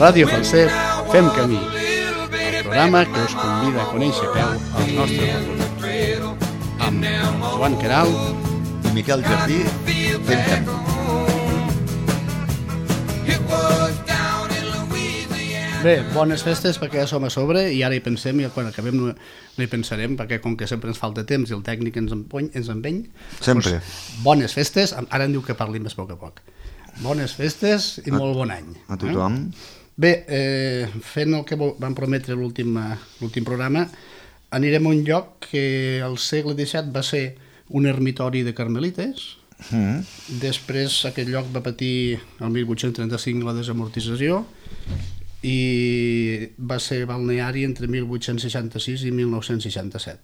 Ràdio Falset, fem camí, el programa que us convida a conèixer peu als nostres recorreguts. Amb Joan Queralt i Miquel Jardí, fem camí. Bé, bones festes perquè ja som a sobre i ara hi pensem i quan acabem no hi pensarem perquè com que sempre ens falta temps i el tècnic ens empeny. Sempre. Doncs, bones festes, ara em diu que parli més a poc a poc. Bones festes i molt bon any. A tothom. Bé, fent el que vam prometre l'últim programa, anirem a un lloc que al segle XVII va ser un ermitori de carmelites. Després aquest lloc va patir el 1835 la desamortització i va ser balneari entre 1866 i 1967.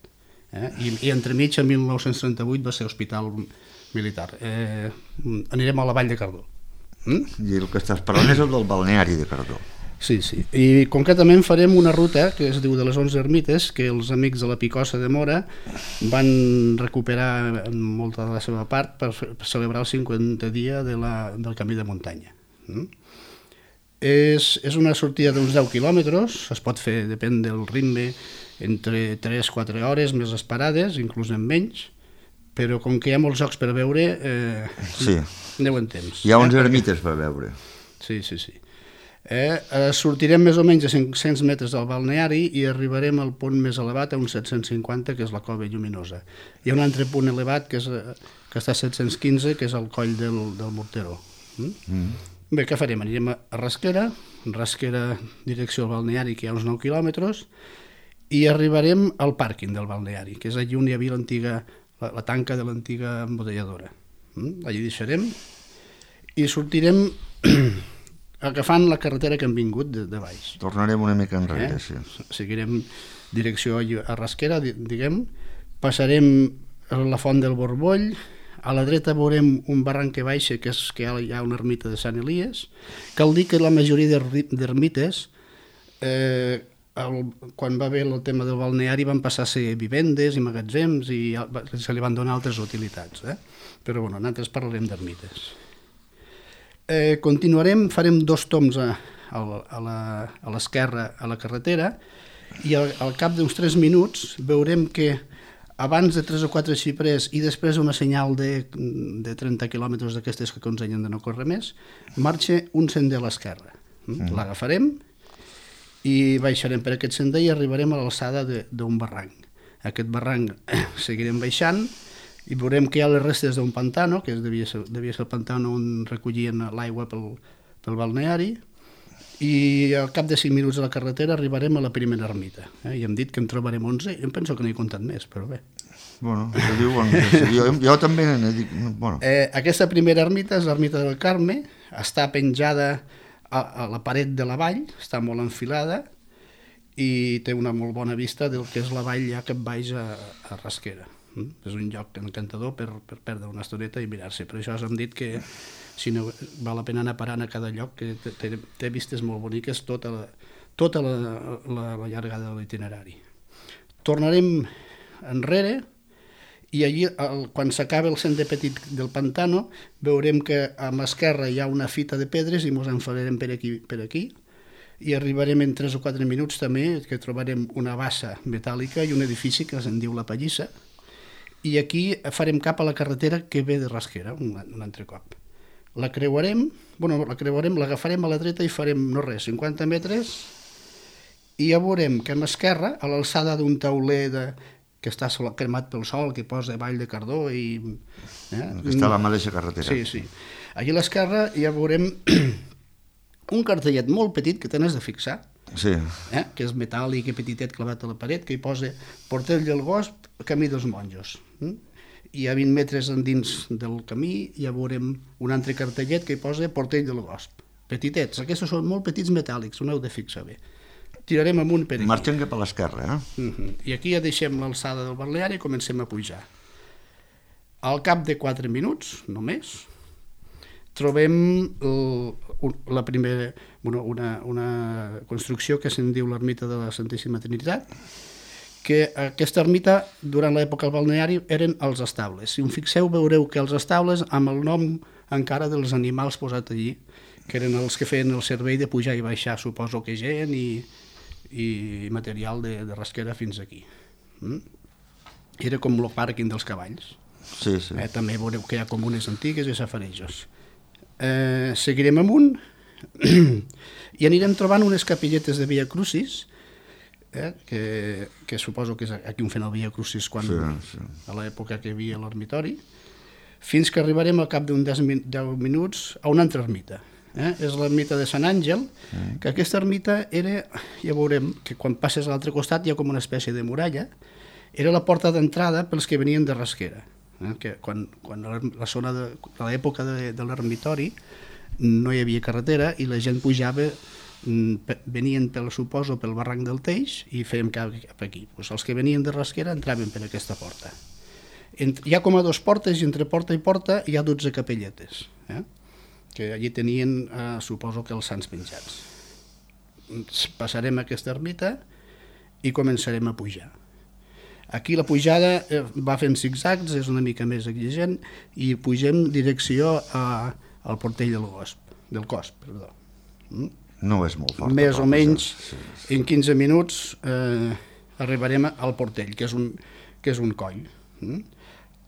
I entremig, en 1938, va ser hospital militar. Anirem a la Vall de Cardó. I el que estàs parlant és el del balneari de Cardó. Sí. I concretament farem una ruta que es diu de les 11 ermites, que els amics de la Picossa de Mora van recuperar molta de la seva part per celebrar el 50 dia del camí de muntanya. És una sortida d'uns 10 quilòmetres, es pot fer, depèn del ritme, entre 3-4 hores, més les parades, inclús en menys, però com que hi ha molts jocs per veure, aneu en temps. Hi ha 11 ermites per veure. Sí. Sortirem més o menys a 500 metres del balneari i arribarem al punt més elevat, a uns 750, que és la Cova Lluminosa. Hi ha un altre punt elevat que està a 715, que és el coll del Morteró. Bé, què farem? Anirem a Rasquera direcció al balneari, que hi ha uns 9 quilòmetres, i arribarem al pàrquing del balneari, que és allí on hi havia la tanca de l'antiga embotelladora. Allí deixarem i sortirem agafant la carretera que hem vingut de baix. Tornarem una mica enrere, sí. Seguirem direcció a Rasquera, diguem, passarem la Font del Borboll. A la dreta veurem un barranc que baixa, que hi ha una ermita de Sant Elies. Cal dir que la majoria d'ermites, quan va haver el tema del balneari, van passar a ser vivendes i magatzems i se li van donar altres utilitats. Però bueno, nosaltres parlarem d'ermites. Continuarem, farem 2 toms a l'esquerra a la carretera i al cap d'uns 3 minuts veurem que abans de 3 o 4 xiprers i després una senyal de 30 quilòmetres d'aquestes que aconsellen de no córrer més, marxa un sender a l'esquerra. L'agafarem i baixarem per aquest sender i arribarem a l'alçada d'un barranc. Aquest barranc seguirem baixant i veurem que hi ha les restes d'un pantano, que devia ser el pantano on recollien l'aigua pel balneari, i al cap de 5 minuts de la carretera arribarem a la primera ermita. I hem dit que en trobarem 11, jo em penso que n'he comptat més, però bé. Bueno, jo també n'he dit... Bueno. Aquesta primera ermita és l'ermita del Carme, està penjada a la paret de la vall, està molt enfilada i té una molt bona vista del que és la vall ja cap baix a Rasquera. És un lloc encantador per perdre una estoneta i mirar-se. Per això us hem dit que si no val la pena anar parant a cada lloc, que té vistes molt boniques tota la llargada de l'itinerari. Tornarem enrere i allí, quan s'acaba el sender petit del pantano, veurem que a l'esquerra hi ha una fita de pedres i ens enfilarem per aquí i arribarem en 3 o 4 minuts també, que trobarem una bassa metàl·lica i un edifici que se'n diu la Pallissa, i aquí farem cap a la carretera que ve de Rasquera, un altre cop. La creuarem, l'agafarem a la dreta i farem, 50 metres, i ja veurem que a l'esquerra, a l'alçada d'un tauler que està cremat pel sol, que posa Vall de Cardó i... Està a la mateixa carretera. Sí. Allí a l'esquerra ja veurem un cartellet molt petit que tens de fixar, que és metàl·lic i petitet clavat a la paret, que hi posa Portell del Gosp, Camí dels Monjos. I a 20 metres endins del camí ja veurem un altre cartellet que hi posa Portell del Gosp. Petitets, aquests són molt petits metàl·lics, ho heu de fixar bé. Tirarem amunt per aquí. Marxem cap a l'esquerra, I aquí ja deixem l'alçada del balneari i comencem a pujar. Al cap de 4 minuts, només, trobem una construcció que se'n diu l'ermita de la Santíssima Trinitat, que aquesta ermita, durant l'època del balneari, eren els estables. Si us fixeu, veureu que els estables, amb el nom encara dels animals posat allí, que eren els que feien el servei de pujar i baixar, suposo que gent i material de rasquera fins aquí. Era com el pàrquing dels cavalls. Sí, sí. També veureu que hi ha comunes antigues i safarejos. Seguirem amunt i anirem trobant unes capilletes de Via Crucis, que suposo que és aquí on fent el Via Crucis a l'època que hi havia l'ermitori, fins que arribarem al cap d'un 10 minuts a una altra ermita. És l'ermita de Sant Àngel, que aquesta ermita era, ja veurem, que quan passes a l'altre costat hi ha com una espècie de muralla, era la porta d'entrada pels que venien de Rasquera, que quan la zona de l'època de l'ermitori no hi havia carretera i la gent pujava, venien suposo pel barranc del Teix i fèiem cap aquí. Els que venien de Rasquera entraven per aquesta porta. Hi ha com a 2 portes i entre porta i porta hi ha 12 capelletes, que allí tenien, suposo que els sants penjats. Passarem aquesta ermita i començarem a pujar. Aquí la pujada va fent zigzags, és una mica més exigent, i pugem direcció al portell del Cosp. No és molt fort. Més o menys, en 15 minuts arribarem al portell, que és un coll.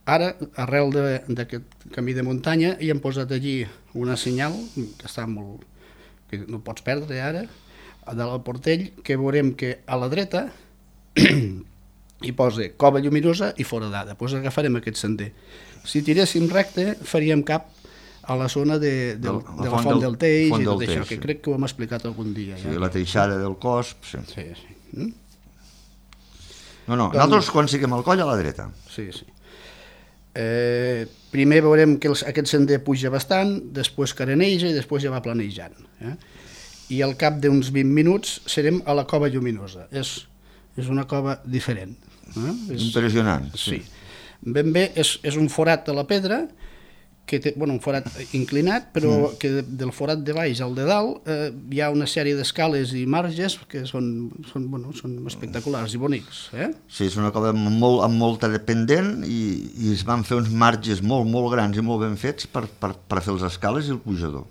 Ara, arrel d'aquest camí de muntanya, hi hem posat allí una senyal, que està molt, que no pots perdre ara, del portell, que veurem que a la dreta hi posa Cova Lluminosa i Foradada. Doncs agafarem aquest sender. Si tiréssim recte, faríem cap a la zona de la Font del Teix i tot això, que crec que ho hem explicat algun dia. Sí, la teixada del Cosp. Sí. No, nosaltres quan siguem al coll a la dreta. Sí. Primer veurem que aquest sender puja bastant, després careneja i després ja va planejant. I al cap d'uns 20 minuts serem a la Cova Lluminosa. És una cova diferent. Impressionant. Sí. Ben bé, és un forat a la pedra, que té un forat inclinat, però que del forat de baix al de dalt hi ha una sèrie d'escales i marges que són espectaculars i bonics. Sí, és una cova amb molta dependent i es van fer uns marges molt, molt grans i molt ben fets per fer les escales i el pujador.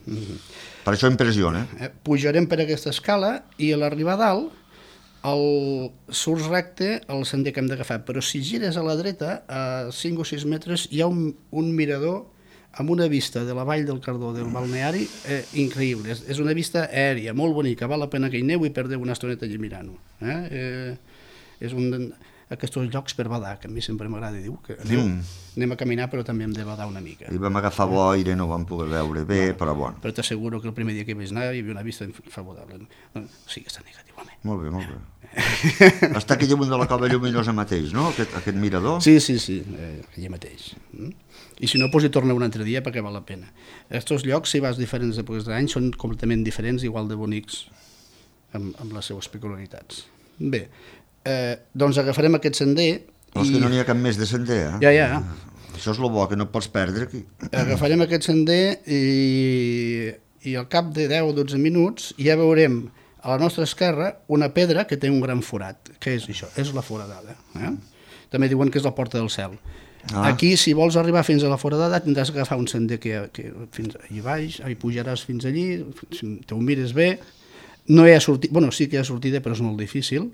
Per això impressiona. Pujarem per aquesta escala i a l'arribar a dalt surts recte al sender que hem d'agafar, però si gires a la dreta, a 5 o 6 metres, hi ha un mirador amb una vista de la vall del Cardó, del balneari, increïble. És una vista aèria, molt bonica, val la pena que hi aneu i perdeu una estoneta allà mirant-ho. És un d'aquests llocs per badar, que a mi sempre m'agrada dir que anem a caminar però també hem de badar una mica. I vam agafar boira i no vam poder veure bé, però bueno. Però t'asseguro que el primer dia que vaig anar hi havia una vista favorable. Sí, està negatiu, home. Molt bé. Està aquí damunt de la Cova Lluminosa mateix, no? Aquest mirador? Sí, allà mateix. I si no, hi torna un altre dia perquè val la pena. Aquests llocs, si vas diferents èpoques de l'any, són completament diferents, igual de bonics, amb les seues peculiaritats. Bé, doncs agafarem aquest sender. Però és que no n'hi ha cap més de sender, Ja. Això és el bo, que no pots perdre aquí. Agafarem aquest sender i al cap de 10 o 12 minuts ja veurem a la nostra esquerra una pedra que té un gran forat. Què és això? És la Foradada. També diuen que és la Porta del Cel. Aquí, si vols arribar fins a la Foradada, tindràs que agafar un sender que fins allà baix, pujaràs fins allí, si te ho mires bé, no hi ha sortida, sí que hi ha sortida, però és molt difícil,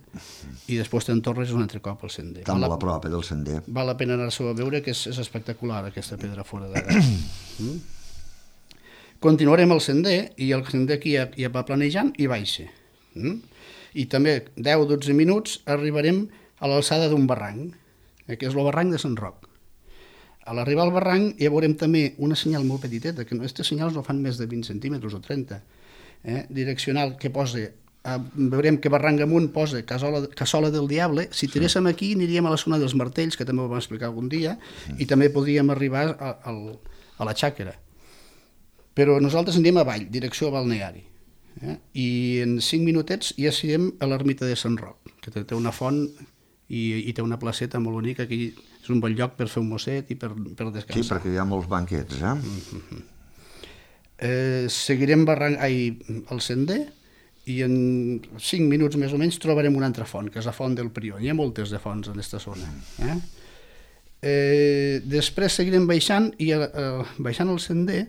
i després te'n tornes un altre cop al sender. Està molt a prop del sender. Val la pena anar-s'ho a veure, que és espectacular, aquesta pedra Foradada. Continuarem el sender, i el sender aquí ja va planejant i baixa. I també 10 o 12 minuts arribarem a l'alçada d'un barranc, que és el barranc de Sant Roc. A l'arribar al barranc ja veurem també una senyal molt petiteta, que aquests senyals no fan més de 20 centímetres o 30, direccional, que posa, veurem que barranc amunt posa Cassola del Diable. Si tiréssim aquí aniríem a la zona dels Martells, que també ho vam explicar algun dia, i també podríem arribar a la Xàquera. Però nosaltres anirem avall, direcció balneari. I en 5 minutets ja serem a l'ermita de Sant Roc, que té una font i té una placeta molt bonica, que és un bon lloc per fer un mosset i per descansar. Sí, perquè hi ha molts banquets, Seguirem el sender i en 5 minuts més o menys trobarem una altra font, que és la Font del Prior. Hi ha moltes de fonts en aquesta zona. Després seguirem baixant el sender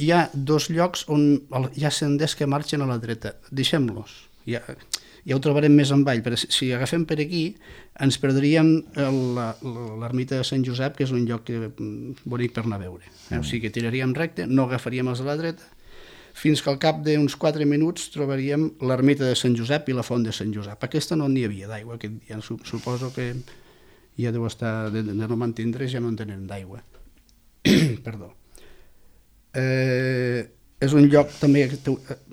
hi ha 2 llocs on hi ha senders que marxen a la dreta. Deixem-los. Ja ho trobarem més avall, però si agafem per aquí ens perdríem l'ermita de Sant Josep, que és un lloc bonic per anar a veure. O sigui que tiraríem recte, no agafaríem els de la dreta, fins que al cap d'uns 4 minuts trobaríem l'ermita de Sant Josep i la font de Sant Josep. Aquesta no n'hi havia d'aigua aquest dia, suposo que ja deu estar, de no mantindre's ja no en tenen d'aigua. Perdó. És un lloc també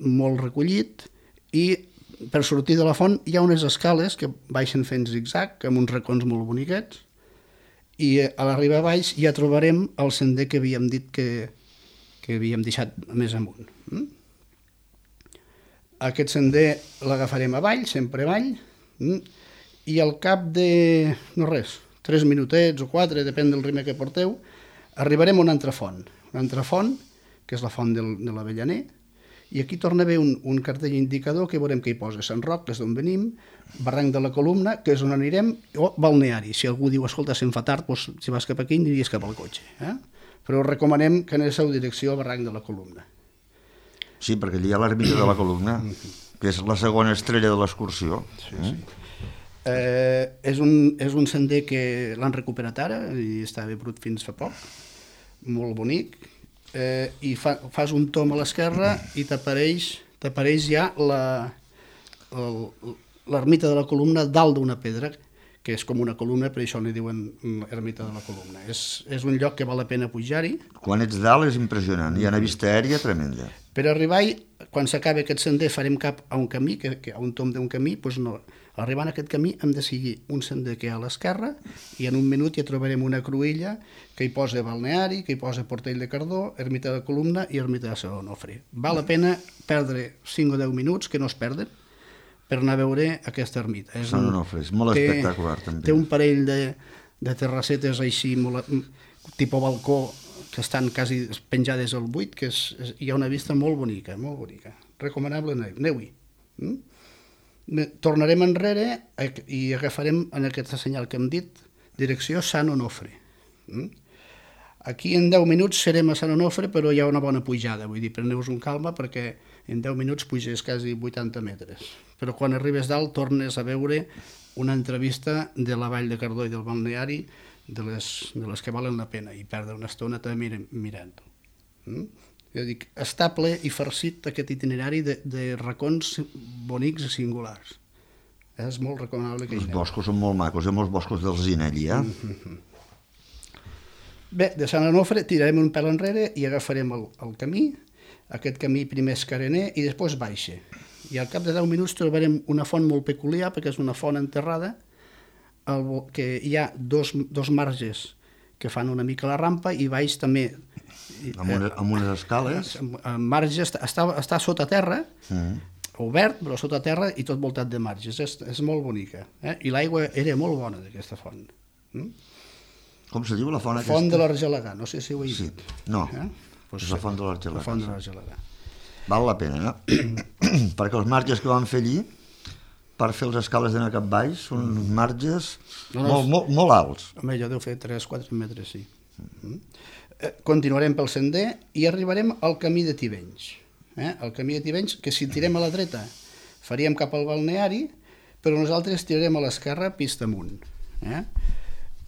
molt recollit i per sortir de la font hi ha unes escales que baixen fent zigzag amb uns racons molt boniquets i a l'arribar a baix ja trobarem el sender que havíem dit que havíem deixat més amunt. Aquest sender l'agafarem avall, sempre avall, i al cap de, no res, 3 minutets o 4, depèn del ritme que porteu, arribarem a una altra font, que és la font de l'Avellaner, i aquí torna a haver un cartell indicador que veurem que hi posa Sant Roc, que és d'on venim, Barranc de la Columna, que és on anirem, o Balneari. Si algú diu, escolta, se'm fa tard, doncs, si vas cap aquí, aniries cap al cotxe. Però us recomanem que aneu a direcció al Barranc de la Columna. Sí, perquè allà hi ha l'ermita de la Columna, que és la segona estrella de l'excursió. Sí. És un sender que l'han recuperat ara i estava brut fins fa poc, molt bonic, i fas un tom a l'esquerra i t'apareix ja l'ermita de la Columna dalt d'una pedra, que és com una columna, per això li diuen ermita de la Columna. És un lloc que val la pena pujar-hi. Quan ets dalt és impressionant, hi ha una vista aèria tremenda. Per arribar-hi, quan s'acabi aquest sender, farem cap a un camí, a un tom d'un camí, doncs no. Arribant a aquest camí hem de seguir un sender que hi ha a l'esquerra i en un minut ja trobarem una cruïlla que hi posa Balneari, que hi posa Portell de Cardó, ermita de la Columna i ermita de Sant Onofre. Val la pena perdre 5 o 10 minuts, que no es perden, per anar a veure aquesta ermita. Sant Onofre, és molt espectacular també. Té un parell de terrassetes així, tipus balcó, que estan quasi penjades al buit, que hi ha una vista molt bonica, molt bonica. Recomanable, aneu-hi. Tornarem enrere i agafarem en aquest senyal que hem dit, direcció Sant Onofre. Aquí en 10 minuts serem a Sant Onofre, però hi ha una bona pujada, vull dir, preneu-vos un calma perquè en 10 minuts puges quasi 80 metres. Però quan arribes dalt tornes a veure una entrevista de la Vall de Cardó i del Balneari, de les que valen la pena, i perdre una estona també mirant-ho. Jo dic, està ple i farcit aquest itinerari de racons bonics i singulars. És molt recomanable que hi aneu. Els boscos són molt macos, hi ha molts boscos d'alzina allí, Bé, de Sant Onofre tirarem un pèl enrere i agafarem el camí. Aquest camí primer és carener i després baixa. I al cap de 10 minuts trobarem una font molt peculiar, perquè és una font enterrada, que hi ha dos marges que fan una mica la rampa i baix també amb unes escales. El marge està sota terra, obert, però sota terra i tot voltat de marges. És molt bonica. I l'aigua era molt bona d'aquesta font. Com se diu la font aquesta? Font de l'Argelegà, no sé si ho he dit. No, és la font de l'Argelegà. La font de l'Argelegà. Val la pena, no? Perquè els marges que vam fer allí, per fer les escales d'anar cap baix, són marges molt alts. Home, jo deu fer 3-4 metres, sí. Continuarem pel sender i arribarem al camí de Tivenys. El camí de Tivenys, que si tirem a la dreta faríem cap al balneari, però nosaltres tirarem a l'esquerra pista amunt.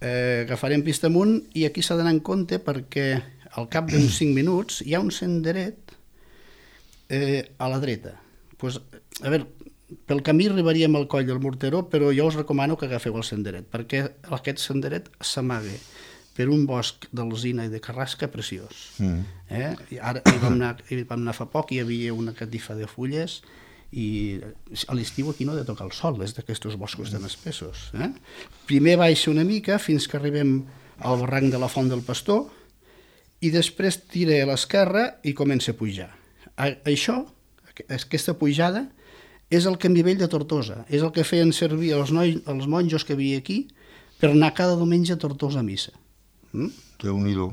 Agafarem pista amunt i aquí s'ha d'anar en compte perquè al cap d'uns 5 minuts hi ha un senderet a la dreta. A veure, pel camí arribaríem al coll del Morteró, però jo us recomano que agafeu el senderet, perquè aquest senderet s'amaga per un bosc d'alzina i de carrasca preciós. Ara hi vam anar fa poc, hi havia una catifa de fulles i a l'estiu aquí no ha de tocar el sol, és d'aquests boscos tan espessos. Primer baixa una mica fins que arribem al barranc de la Font del Pastor i després tira a l'esquerra i comença a pujar. Això, aquesta pujada, és el camí vell de Tortosa, és el que feien servir els monjos que havia aquí per anar cada diumenge a Tortosa a missa. Déu-n'hi-do.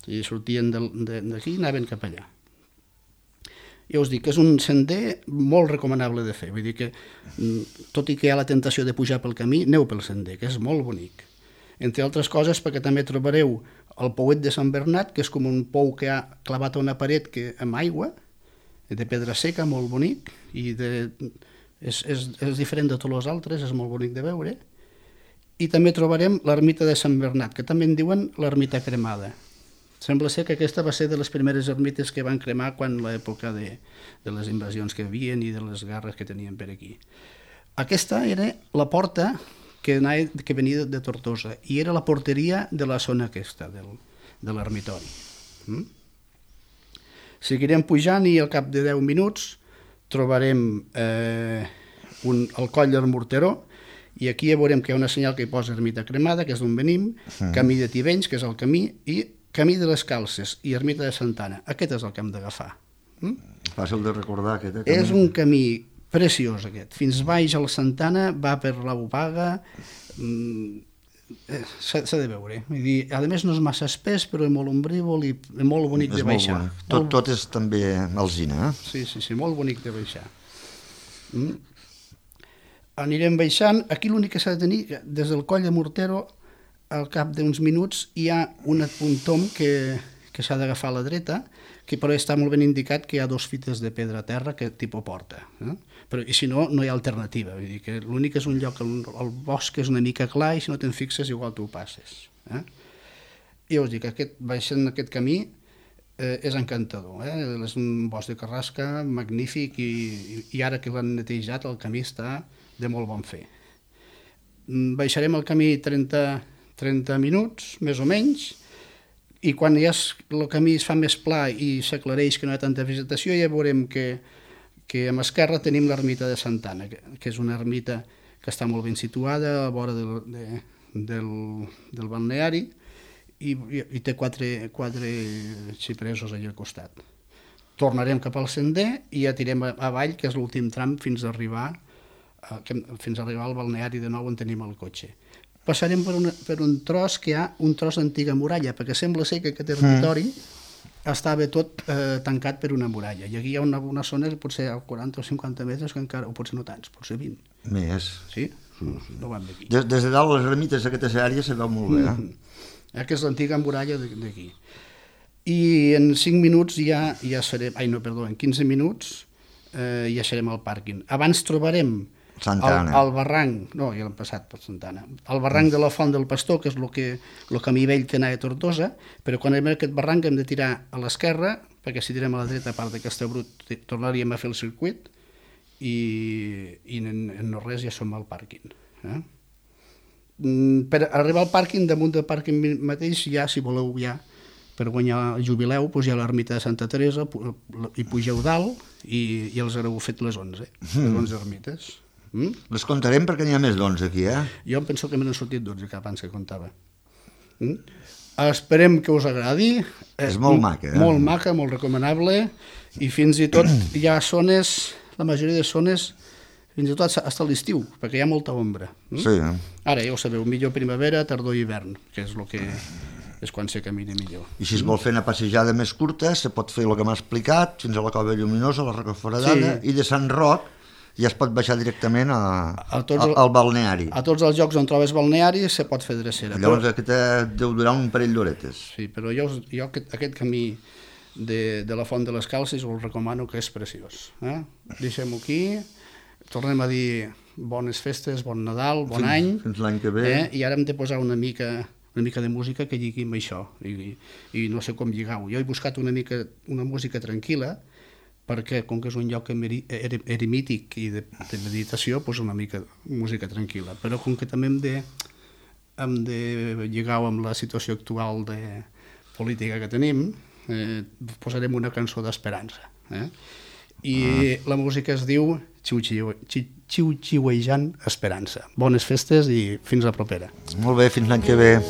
I sortien d'aquí i anaven cap allà. Ja us dic que és un sender molt recomanable de fer, vull dir que tot i que hi ha la tentació de pujar pel camí, aneu pel sender, que és molt bonic. entre altres coses perquè també trobareu el pouet de Sant Bernat, que és com un pou que ha clavat a una paret amb aigua, de pedra seca, molt bonic, i és diferent de tots els altres, és molt bonic de veure. I també trobarem l'ermita de Sant Bernat, que també en diuen l'ermita cremada. Sembla ser que aquesta va ser de les primeres ermites que van cremar quan l'època de les invasions que hi havia i de les guerres que tenien per aquí. Aquesta era la porta que venia de Tortosa i era la porteria de la zona aquesta, de l'ermitori. Seguirem pujant i al cap de 10 minuts trobarem el coll del Morteró, i aquí ja veurem que hi ha una senyal que hi posa ermita cremada, que és d'on venim, camí de Tivenys, que és el camí, i camí de les Calces i ermita de Santana. Aquest és el que hem d'agafar. Fàcil de recordar, aquest. És un camí preciós, aquest. Fins baix a la Santana, va per la Bopaga, s'ha de veure. Vull dir, a més no és massa espès, però és molt ombrívol i molt bonic de baixar. Tot és també alzina, eh? Sí, molt bonic de baixar. Anirem baixant. Aquí l'únic que s'ha de tenir, des del coll de Mortero, al cap d'uns minuts hi ha un tom que s'ha d'agafar a la dreta, que però està molt ben indicat que hi ha 2 fites de pedra a terra que tipus porta. Però, i si no, no hi ha alternativa. Vull dir que l'únic és un lloc, el bosc és una mica clar i si no te'n fixes igual tu ho passes. I us dic, baixant aquest camí és encantador. És un bosc de carrasca magnífic i ara que l'han netejat el camí està de molt bon fer. Baixarem el camí 30 minuts, més o menys, i quan ja el camí es fa més pla i s'aclareix que no hi ha tanta vegetació, ja veurem que a l'esquerra tenim l'ermita de Santana, que és una ermita que està molt ben situada a la vora del balneari i té 4 xipresos allà al costat. Tornarem cap al sender i ja tirem avall, que és l'últim tram fins a arribar al balneari de nou on tenim el cotxe. Passarem per un tros que hi ha un tros d'antiga muralla, perquè sembla ser que aquest territori estava tot tancat per una muralla. I aquí hi ha una zona que potser a 40 o 50 metres, que encara, o potser no tants, potser 20. Més. Sí? No van d'aquí. Des de dalt les ermites d'aquesta àrea se veu molt bé. Aquesta és l'antiga muralla d'aquí. I en 5 minuts ja serem... en 15 minuts ja serem al pàrquing. Abans trobarem el barranc, no, ja l'hem passat per Santana, el barranc de la Font del Pastor, que és el camí vell que anava a Tortosa, però quan anem a aquest barranc hem de tirar a l'esquerra, perquè si tirem a la dreta, a part de Castellbrut, tornaríem a fer el circuit i en no res ja som al pàrquing. Per arribar al pàrquing, damunt del pàrquing mateix, ja, si voleu, ja per guanyar el jubileu, doncs hi ha l'ermita de Santa Teresa, i pugeu dalt i els haureu fet les 11 ermites. Les contarem perquè n'hi ha més d'11 aquí, eh? Jo em penso que me n'han sortit 12 que abans que comptava. Esperem que us agradi. És molt maca, eh? Molt maca, molt recomanable, i fins i tot hi ha zones, la majoria de zones, fins i tot fins a l'estiu, perquè hi ha molta ombra. Sí. Ara ja ho sabeu, millor primavera, tardor i hivern, que és el que és quan se camina millor. I si es vol fer una passejada més curta, se pot fer el que m'ha explicat, fins a la Cova Lluminosa, la Roca Foradada, i de Sant Roc ja es pot baixar directament al balneari. A tots els llocs on trobes balneari se pot fer drecera. Llavors aquest deu durar un parell d'horetes. Sí, però jo aquest camí de la Font de les Calces us recomano, que és preciós. Deixem-ho aquí, tornem a dir bones festes, bon Nadal, bon any. Fins l'any que ve. I ara hem de posar una mica de música que lligui amb això, i no sé com lligar-ho. Jo he buscat una música tranquil·la, perquè com que és un lloc eremític i de meditació, doncs una mica música tranquil·la, però com que també hem de lligar-ho amb la situació actual de política que tenim, posarem una cançó d'esperança. I la música es diu Xiu-xiuejant Esperança. Bones festes i fins la propera. Molt bé, fins l'any que ve.